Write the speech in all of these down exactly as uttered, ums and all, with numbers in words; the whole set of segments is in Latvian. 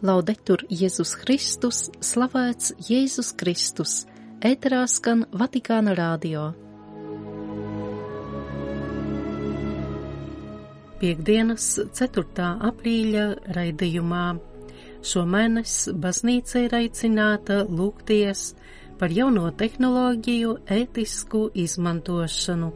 Laudetur Jēzus Kristus, slavēts Jēzus Kristus, ēterā skan Vatikāna radio. Piektdienas, ceturtā aprīļa raidījumā. Šomēnes baznīca ir aicināta lūgties par jauno tehnoloģiju ētisku izmantošanu.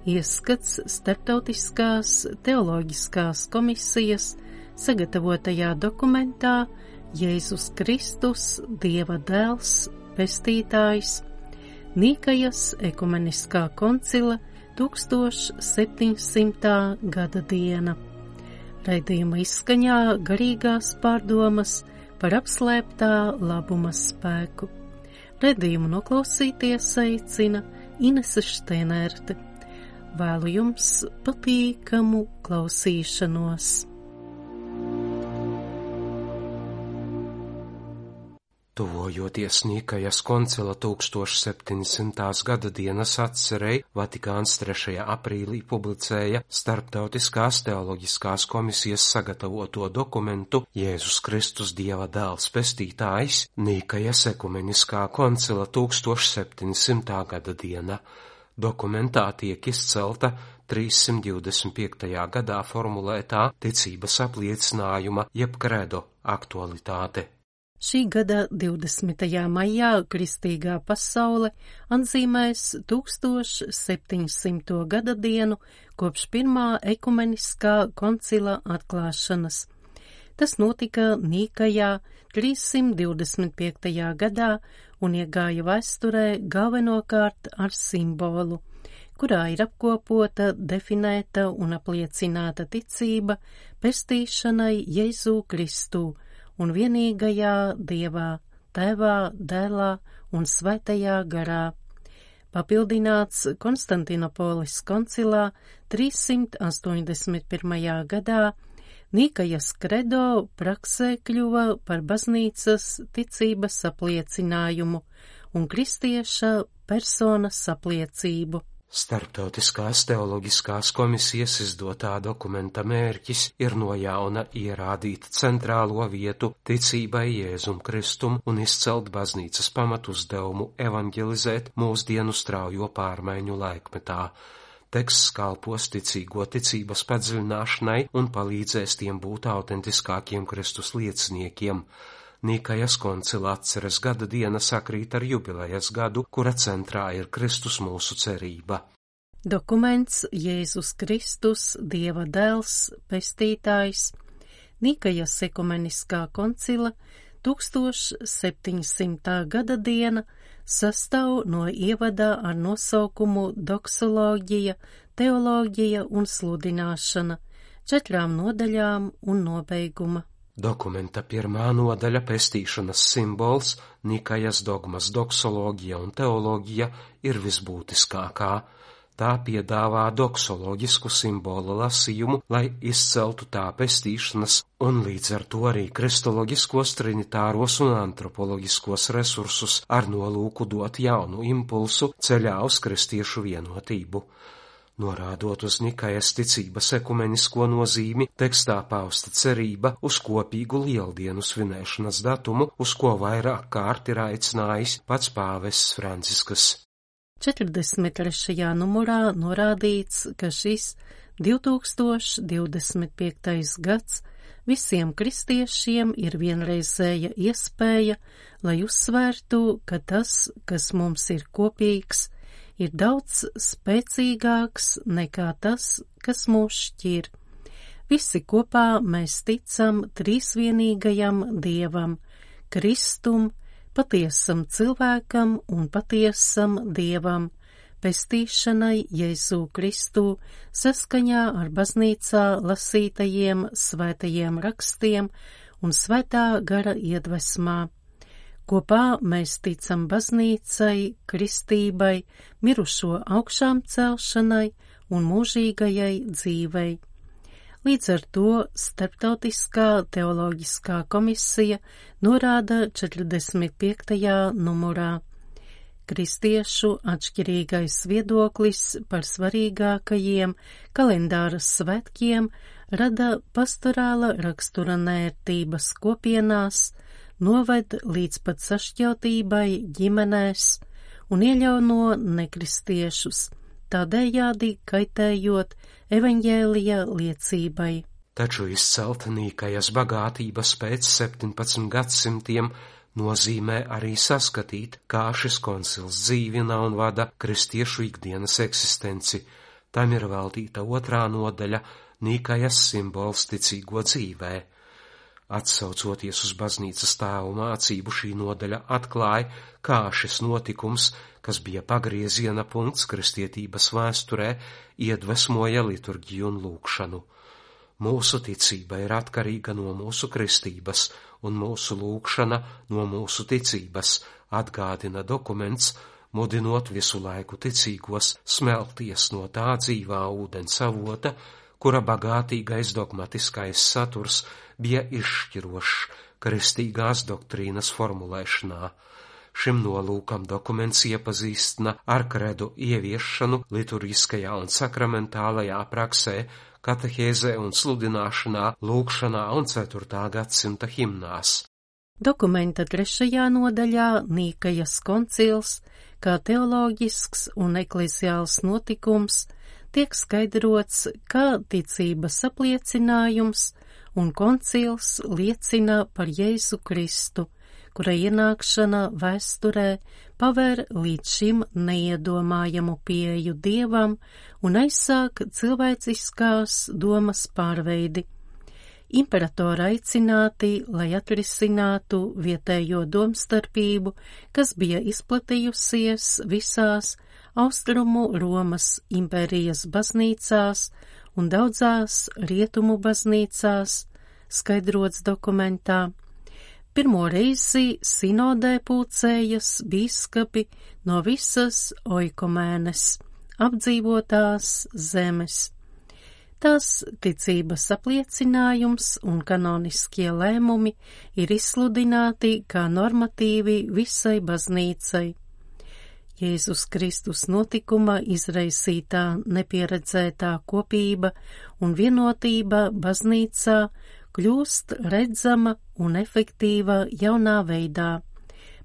Ieskats Starptautiskās teoloģiskās komisijas sagatavotajā dokumentā Jēzus Kristus, Dieva dēls, pestītājs, Nikajas ekumeniskā koncila tūkstoš septiņsimtā gada diena. Raidījuma izskaņā garīgās pārdomas par apslēptā labuma spēku. Raidījumu noklausīties aicina Inese Šteinerte. Vēlu jums patīkamu klausīšanos. Tuvojoties Nikajas koncila tūkstoš septiņsimtās gada dienas atcerei, Vatikāns trešajā aprīlī publicēja Starptautiskās teoloģiskās komisijas sagatavoto dokumentu Jēzus Kristus, Dieva dēls, pestītājs, Nikajas ekumeniskā koncila tūkstoš septiņsimtā gada diena. Dokumentā tiek izcelta trīssimt divdesmit piektajā gadā formulētā ticības apliecinājuma jeb kredo aktualitāte. Šī gada divdesmitajā maijā kristīgā pasaule atzīmēs tūkstoš septiņsimto gada dienu kopš pirmā ekumeniskā koncila atklāšanas. Tas notika Nikajā trīssimt divdesmit piektajā gadā un iegāja vēsturē galvenokārt ar simbolu, kurā ir apkopota, definēta un apliecināta ticība pestīšanai Jēzu Kristu un vienīgajā Dievā, Tēvā, Dēlā un Svētajā garā. Papildināts Konstantinopolis koncilā trīssimt astoņdesmit pirmajā gadā, Nikajas kredo praksē kļuva par baznīcas ticības apliecinājumu un kristieša personas apliecību. Starptautiskās teoloģiskās komisijas izdotā dokumenta mērķis ir no jauna ierādīt centrālo vietu ticībai Jēzum Kristum un izcelt baznīcas pamatuzdevumu evanģelizēt mūsdienu straujo pārmaiņu laikmetā. Teksts kalpos ticīgo ticības padziļināšanai un palīdzēs tiem būt autentiskākiem Kristus lieciniekiem. Nikajas koncila atceres gada diena sakrīt ar jubilejas gadu, kura centrā ir Kristus mūsu cerība. Dokuments Jēzus Kristus, Dieva dēls, pestītājs, Nikajas ekumeniskā koncila tūkstoš septiņsimtā gada diena sastāv no ievada ar nosaukumu doksoloģija, teoloģija un sludināšana, četrām nodaļām un nobeiguma. Dokumenta pirmā nodaļa pestīšanas simbols, Nikajas dogmas doksoloģija un teoloģija ir visbūtiskākā. Tā piedāvā doksoloģisku simbolu lasījumu, lai izceltu tā pestīšanas un līdz ar to arī kristoloģiskos, trinitāros un antropoloģiskos resursus ar nolūku dot jaunu impulsu ceļā uz kristiešu vienotību. Norādot uz Nikajas ticības ekumenisko nozīmi, tekstā pausta cerība uz kopīgu lieldienu svinēšanas datumu, uz ko vairāk kārt ir aicinājis pats pāvests Francisks. četrdesmit trešajā numurā norādīts, ka šis divtūkstoš divdesmit piektais gads visiem kristiešiem ir vienreizēja iespēja, lai uzsvērtu, ka tas, kas mums ir kopīgs, ir daudz spēcīgāks nekā tas, kas mūs šķir. Visi kopā mēs ticam trīsvienīgajam Dievam, Kristum, patiesam cilvēkam un patiesam Dievam, pestīšanai Jēzu Kristu saskaņā ar baznīcā lasītajiem svētajiem rakstiem un svētā gara iedvesmā. Kopā mēs ticam baznīcai, kristībai, mirušo augšām celšanai un mūžīgajai dzīvei. Līdz ar to Starptautiskā teoloģiskā komisija norāda četrdesmit piektajā numurā. Kristiešu atšķirīgais viedoklis par svarīgākajiem kalendāra svētkiem rada pastorāla rakstura nērtības kopienās, noved līdz pat sašķeltībai ģimenēs un iejauno nekristiešus, tādējādi kaitējot evaņģēlija liecībai. Taču izcelt Nīkajas bagātības pēc septiņpadsmit gadsimtiem nozīmē arī saskatīt, kā šis koncils dzīvina un vada kristiešu ikdienas eksistenci. Tam ir veltīta otrā nodaļa Nīkajas simbols ticīgo dzīvē. Atsaucoties uz baznīcas tēvu mācību, šī nodaļa atklāja, kā šis notikums, kas bija pagrieziena punkts kristietības vēsturē, iedvesmoja liturģiju un lūgšanu. Mūsu ticība ir atkarīga no mūsu kristības, un mūsu lūgšana no mūsu ticības, atgādina dokuments, mudinot visu laiku ticīgos smelties no tā dzīvā ūdens avota, kura bagātīgais dogmatiskais saturs bija izšķirošs kristīgās doktrīnas formulēšanā. Šim nolūkam dokuments iepazīstina ar kredu ieviešanu liturgiskajā un sakramentālajā praksē, katehēzē un sludināšanā, lūgšanā un ceturtā gadsimta himnās. Dokumenta trešajā nodaļā Nīkajas koncils, kā teoloģisks un ekleziāls notikums, tiek skaidrots kā ticības apliecinājums, un koncils liecina par Jēzu Kristu, kura ienākšana vēsturē paver līdz šim neiedomājamu pieeju Dievam un aizsāk cilvēciskās domas pārveidi. Imperatori aicināti, lai atrisinātu vietējo domstarpību, kas bija izplatījusies visās Austrumu Romas impērijas baznīcās un daudzās rietumu baznīcās, skaidrots dokumentā. Pirmo reizi sinodē pulcējas bīskapi no visas oikumēnes, apdzīvotās zemes. Tās ticības apliecinājums un kanoniskie lēmumi ir izsludināti kā normatīvi visai baznīcai. Jēzus Kristus notikuma izraisītā nepieredzētā kopība un vienotība baznīcā kļūst redzama un efektīva jaunā veidā,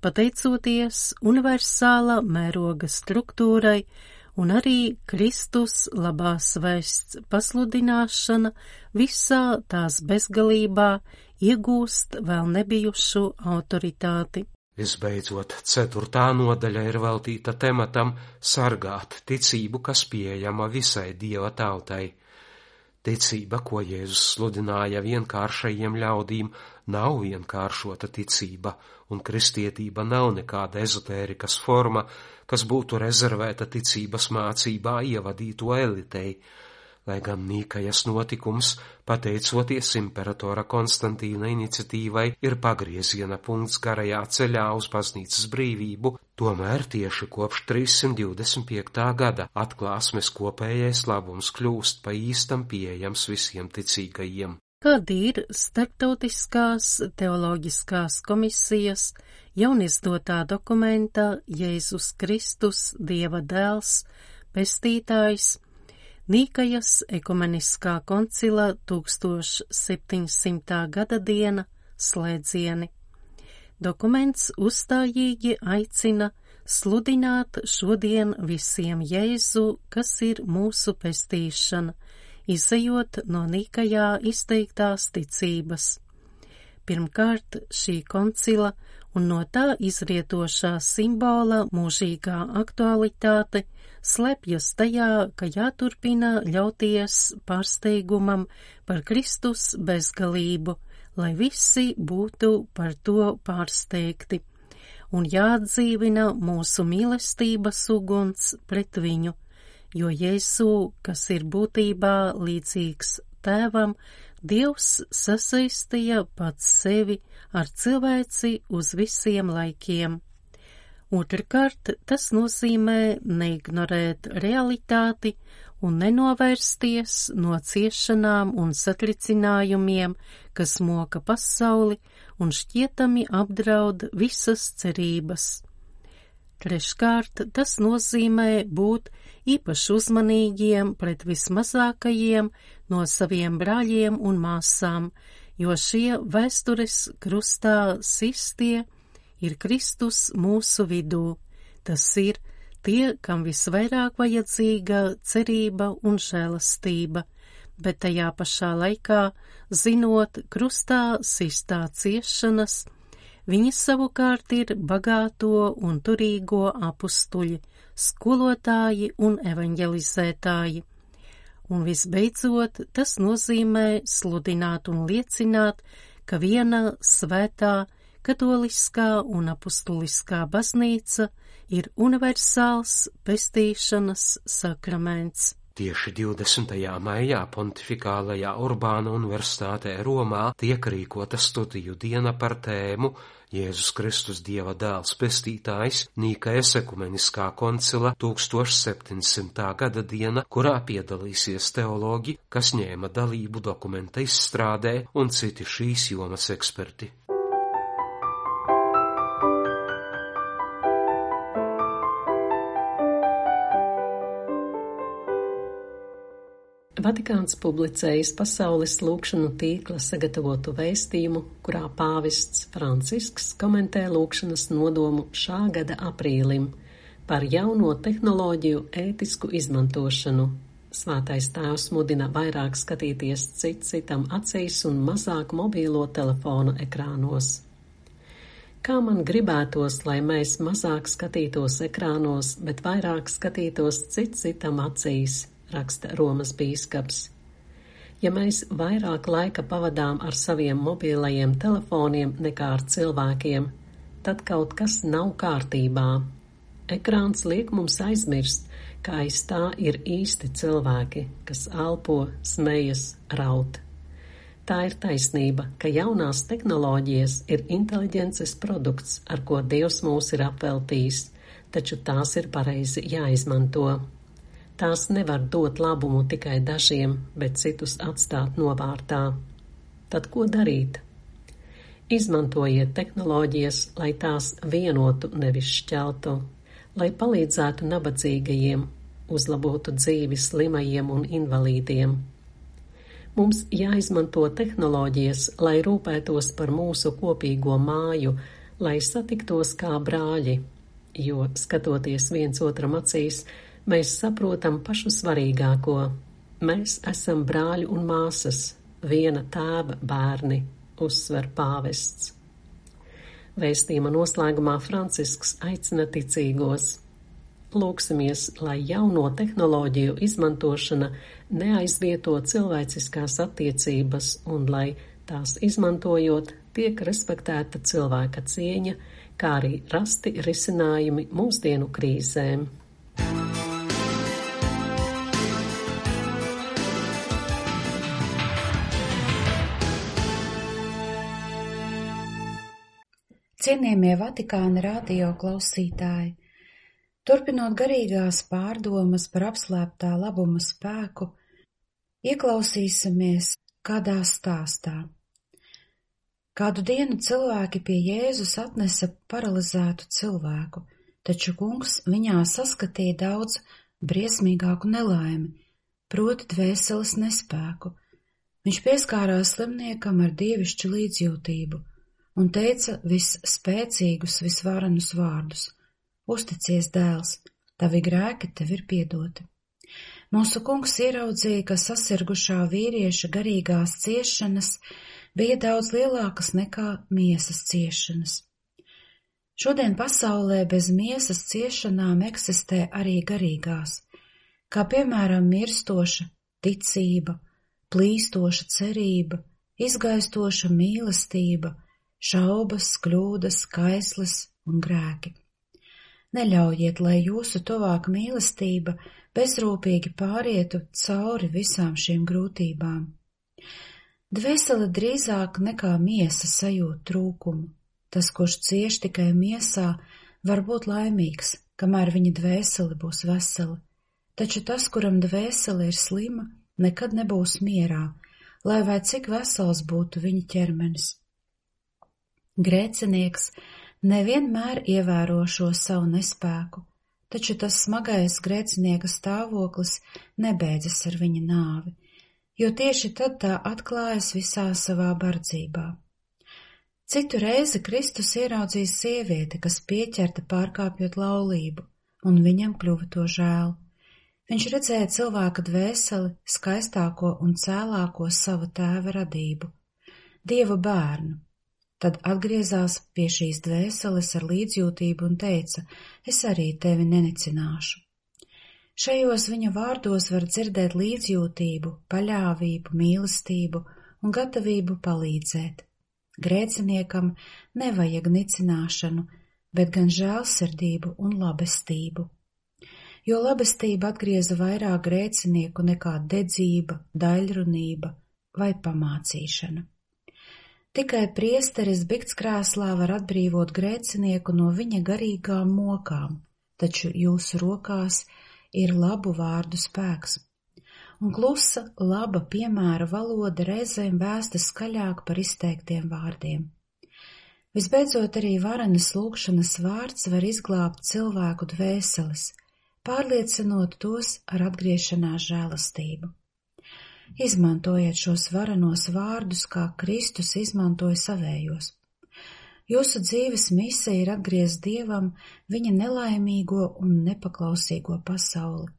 pateicoties universāla mēroga struktūrai un arī Kristus labās vēsts pasludināšana visā tās bezgalībā iegūst vēl nebijušu autoritāti. Visbeidzot, ceturtā nodaļa ir veltīta tematam sargāt ticību, kas pieejama visai Dieva tautai. Ticība, ko Jēzus sludināja vienkāršajiem ļaudīm, nav vienkāršota ticība, un kristietība nav nekāda ezotērikas forma, kas būtu rezervēta ticības mācībā ievadīto elitei. Lai gan Nīkajas notikums, pateicoties imperatora Konstantīna iniciatīvai, ir pagrieziena punkts garajā ceļā uz baznīcas brīvību, tomēr tieši kopš trīssimt divdesmit piektā gada atklāsmes kopējais labums kļūst pa īstam pieejams visiem ticīgajiem. Kādi ir starptautiskās teoloģiskās komisijas jaunizdotā dokumenta Jēzus Kristus, Dieva dēls, pestītājs, Nīkajas ekumeniskā koncila septiņsimtā gada diena slēdzieni. Dokuments uzstājīgi aicina sludināt šodien visiem Jēzu, kas ir mūsu pestīšana, izejot no Nīkajā izteiktās ticības. Pirmkārt, šī koncila un no tā izrietošā simbola mūžīgā aktualitāte slepjas tajā, ka jāturpina ļauties pārsteigumam par Kristus bezgalību, lai visi būtu par to pārsteigti, un jāatdzīvina mūsu mīlestības uguns pret viņu, jo Jēzu, kas ir būtībā līdzīgs Tēvam, Dievs sasaistīja pats sevi ar cilvēci uz visiem laikiem. Otrkārt, tas nozīmē neignorēt realitāti un nenovērsties no ciešanām un satricinājumiem, kas moka pasauli un šķietami apdraud visas cerības. Treškārt, tas nozīmē būt īpaši uzmanīgiem pret vismazākajiem no saviem brāļiem un māsām, jo šie vēstures krustā sistie ir Kristus mūsu vidū. Tas ir tie, kam visvairāk vajadzīga cerība un žēlastība, bet tajā pašā laikā, zinot krustā sistā ciešanas, viņi savukārt ir bagāto un turīgo apustuļi, skolotāji un evaņģelizētāji. Un visbeidzot, tas nozīmē sludināt un liecināt, ka viena svētā, katoliskā un apustuliskā baznīca ir universāls pestīšanas sakraments. Tieši divdesmitajā maijā Pontifikālajā Urbāna universitātē Romā tiek rīkota studiju diena par tēmu Jēzus Kristus Dieva dēls pestītājs, Nīkajas ekumeniskā koncila septiņdesmitā gada diena, kurā piedalīsies teologi, kas ņēma dalību dokumenta izstrādē un citi šīs jomas eksperti. Vatikāns publicējis pasaules lūgšanu tīkla sagatavotu vēstījumu, kurā pāvests Francisks komentē lūgšanas nodomu šā gada aprīlim par jauno tehnoloģiju ētisku izmantošanu. Svētais tēvs mudina vairāk skatīties cit citam acīs un mazāk mobīlo telefonu ekrānos. Kā man gribētos, lai mēs mazāk skatītos ekrānos, bet vairāk skatītos cit citam acīs, raksta Romas bīskaps. Ja mēs vairāk laika pavadām ar saviem mobilajiem telefoniem nekā ar cilvēkiem, tad kaut kas nav kārtībā. Ekrāns liek mums aizmirst, ka aiz tā ir īsti cilvēki, kas elpo, smejas, raud. Tā ir taisnība, ka jaunās tehnoloģijas ir inteliģences produkts, ar ko Dievs mūs ir apveltījis, taču tās ir pareizi jāizmanto. Tās nevar dot labumu tikai dažiem, bet citus atstāt novārtā. Tad ko darīt? Izmantojiet tehnoloģijas, lai tās vienotu, nevis šķeltu, lai palīdzētu nabadzīgajiem, uzlabotu dzīvi slimajiem un invalīdiem. Mums jāizmanto tehnoloģijas, lai rūpētos par mūsu kopīgo māju, lai satiktos kā brāļi, jo, skatoties viens otram acīs, mēs saprotam pašu svarīgāko. Mēs esam brāļi un māsas, viena tēva bērni, uzsver pāvests. Vēstījuma noslēgumā Francisks aicina ticīgos. Lūksimies, lai jauno tehnoloģiju izmantošana neaizvieto cilvēciskās attiecības un lai tās izmantojot tiek respektēta cilvēka cieņa, kā arī rasti risinājumi mūsdienu krīzēm. Cienījamie Vatikāna radio klausītāji, turpinot garīgās pārdomas par apslēptā labuma spēku, ieklausīsimies kādā stāstā. Kādu dienu cilvēki pie Jēzus atnesa paralizētu cilvēku, taču kungs viņā saskatīja daudz briesmīgāku nelaimi, proti dvēseles nespēku. Viņš pieskārās slimniekam ar dievišķu līdzjūtību un teica visspēcīgus, visvarenus vārdus: Uzticies, dēls, tavi grēki tev ir piedoti. Mūsu kungs ieraudzīja, ka sasirgušā vīrieša garīgās ciešanas bija daudz lielākas nekā miesas ciešanas. Šodien pasaulē bez miesas ciešanām eksistē arī garīgās, kā piemēram mirstoša ticība, plīstoša cerība, izgaistoša mīlestība, šaubas, kļūdas, kaislis un grēki. Neļaujiet, lai jūsu tuvāk mīlestība bezrūpīgi pārietu cauri visām šīm grūtībām. Dvēsele drīzāk nekā miesa sajūt trūkumu. Tas, kurš cieš tikai miesā, var būt laimīgs, kamēr viņa dvēsele būs vesela, taču tas, kuram dvēsele ir slima, nekad nebūs mierā, lai vai cik vesels būtu viņa ķermenis. Grēcinieks nevienmēr ievēro šo savu nespēku, taču tas smagais grēcinieka stāvoklis nebeidzas ar viņa nāvi, jo tieši tad tā atklājas visā savā bardzībā. Citu reizi Kristus ieraudzīja sievieti, kas pieķerta pārkāpjot laulību, un viņam kļuva to žēl. Viņš redzēja cilvēka dvēseli, skaistāko un cēlāko sava tēva radību, Dieva bērnu. Tad atgriezās pie šīs dvēseles ar līdzjūtību un teica, es arī tevi nenicināšu. Šajos viņa vārdos var dzirdēt līdzjūtību, paļāvību, mīlestību un gatavību palīdzēt. Grēciniekam nevajag nicināšanu, bet gan žēlsirdību un labestību. Jo labestība atgrieza vairāk grēcinieku nekā dedzība, daļrunība vai pamācīšana. Tikai priesteris biktskrēslā var atbrīvot grēcinieku no viņa garīgām mokām, taču jūsu rokās ir labu vārdu spēks. Un klusa, laba piemēra valoda reizēm vēsta skaļāk par izteiktiem vārdiem. Visbeidzot, arī varenas lūgšanas vārds var izglābt cilvēku dvēseles, pārliecinot tos ar atgriešanās žēlastību. Izmantojiet šos varenos vārdus, kā Kristus izmantoja savējos. Jūsu dzīves misija ir atgriezt Dievam viņa nelaimīgo un nepaklausīgo pasauli.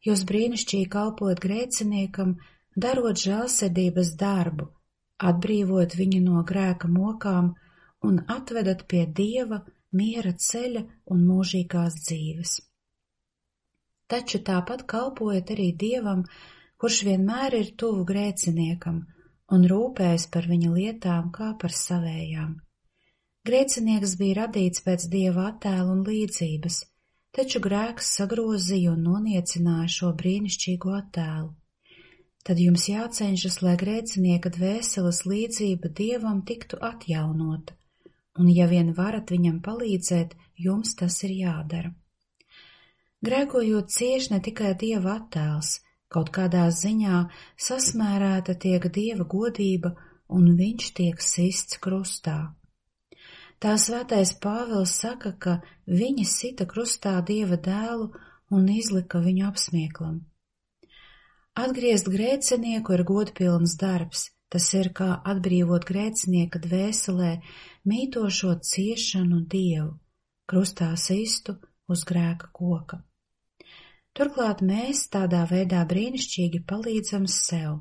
Jūs brīnišķīgi kalpojat grēciniekam, darot žēlsirdības darbu, atbrīvot viņu no grēka mokām un atvedat pie Dieva, miera ceļa un mūžīgās dzīves. Taču tāpat kalpojat arī Dievam, kurš vienmēr ir tuvu grēciniekam un rūpējas par viņa lietām kā par savējām. Grēcinieks bija radīts pēc Dieva attēla un līdzības, taču grēks sagrozīja un noniecināja šo brīnišķīgo attēlu. Tad jums jācenšas, lai grēcinieka dvēseles līdzība Dievam tiktu atjaunota, un ja vien varat viņam palīdzēt, jums tas ir jādara. Grēkojot cieš ne tikai Dieva attēls, kaut kādā ziņā sasmērēta tiek Dieva godība, un viņš tiek sists krustā. Tā svētais Pāvils saka, ka viņi sita krustā Dieva dēlu un izlika viņu apsmieklam. Atgriezt grēcinieku ir godpilns darbs, tas ir kā atbrīvot grēcinieka dvēselē mītošo ciešanu Dievu, krustā sistu uz grēka koka. Turklāt mēs tādā veidā brīnišķīgi palīdzam sev.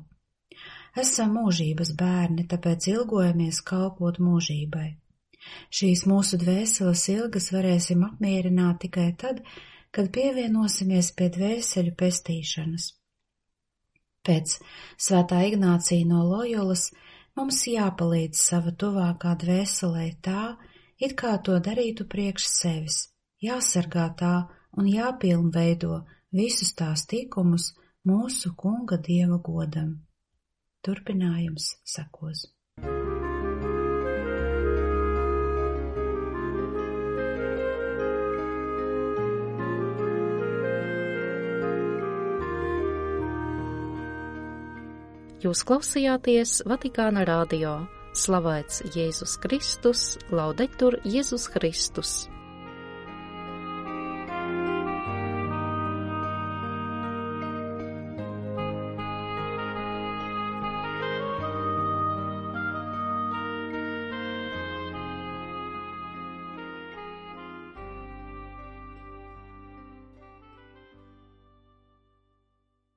Esam mūžības bērni, tāpēc ilgojamies kalpot mūžībai. Šīs mūsu dvēseles ilgas varēsim apmierināt tikai tad, kad pievienosimies pie dvēseļu pestīšanas. Pēc svētā Ignācija no Lojolas mums jāpalīdz sava tuvākā dvēselē tā, it kā to darītu priekš sevis, jāsargā tā un jāpilnveido visus tās tikumus mūsu Kunga Dieva godam. Turpinājums sekos. Jūs klausījāties Vatikāna radio. Slavēts Jēzus Kristus, laudetur Jēzus Kristus.